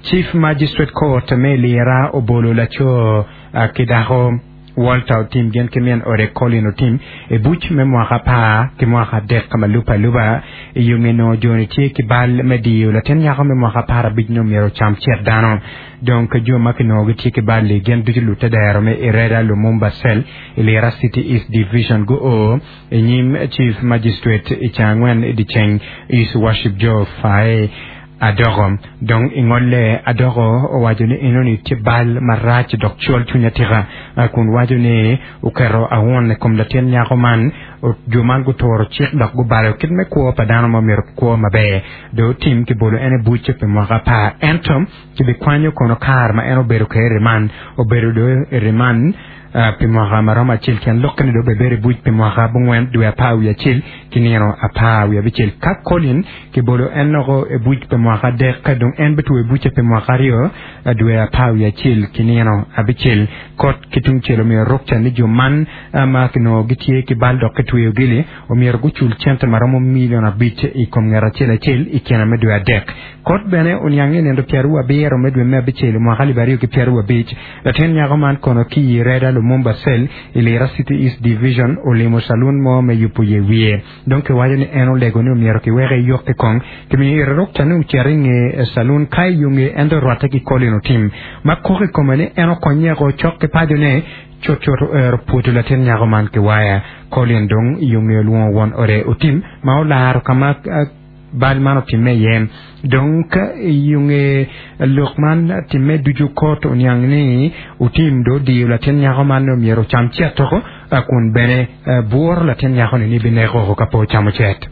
Chief Magistrate Court me Lira obolo laco ki dako Walter Otim gin ki min ode Colin Otim i buc me mwaka apar ki mwaka adek ma lubbe aluba i yo nge nongo joni tye ki bal me diyo latin nyako me mwaka 15 ni omyero ocam cet dano. Dong ki jo ma kinongo gitye ki bal-li gin ducu lute dero me Ireda Lumumba Cell i Lira City East Division guo i nyim Chief Magistrate i Cangwen i dyeceng His Worship Joe Fae Adoko. Dong i ngolle, Adoko owaco ni enoni tye bal marac dok col cwiny atika, kun waco ni oketo aun i kom latin nyako man. Jo man guturo cik dok gubalo kit me kwo pa dano ma myero kwo maber. Dong otim kibolo en i buc pi mwaka apar. Ento kibikwanyo kono kare ma en obedo kwede i riman. Obedo dong i riman pi mwaka ma romo acel tyen lokke ni dong obebedo i buc pi mwaka abongwen dwe apar wiye acel ki nino apar wiye abicel. Ka Colin kibolo en loko i buc pi mwaka adek, dong en bitweyo bucce pi mwaka aryo dwe apar wiye acel ki nino abicel. Kot ki tungcel omyero rukca ni jo man ma kinongo gitye ki bal dok kitweyogi-ni omyero gucul cente ma romo milion abic i kom ngat acel acel i kine me dwe adek. Kot bene oniang ni i nino pyeraryo abiro me dwe me abicel i mwaka alip aryo ki pyeraryo abic, Latin nyako man kono ki i Reda Lumumba Cell i Lira City East Division olimo calun mo me yubo ye wiye. Dong kiwaco ni en olego ni omyero kiweke eyokke kong. Kimiyo ite rukca ni ocit i nge calun ka i yo nge ento orwatte ki Colin Otim ma kok i kome ni en okonyeko cok ki pacone. Cutcut oero pwodo latin nyako man ki waya. Colin dong i yo nge olwongo won ode Otim ma olaro ka ma bal man otimme iye. Dong ka i yo nge lok man timme ducu kot oniang ni Otim dong odiyo latin nyako man ni omyero ocam cet oko kun bene bwuro latin nyako ni ni bineko oko ka pe ocamo cet.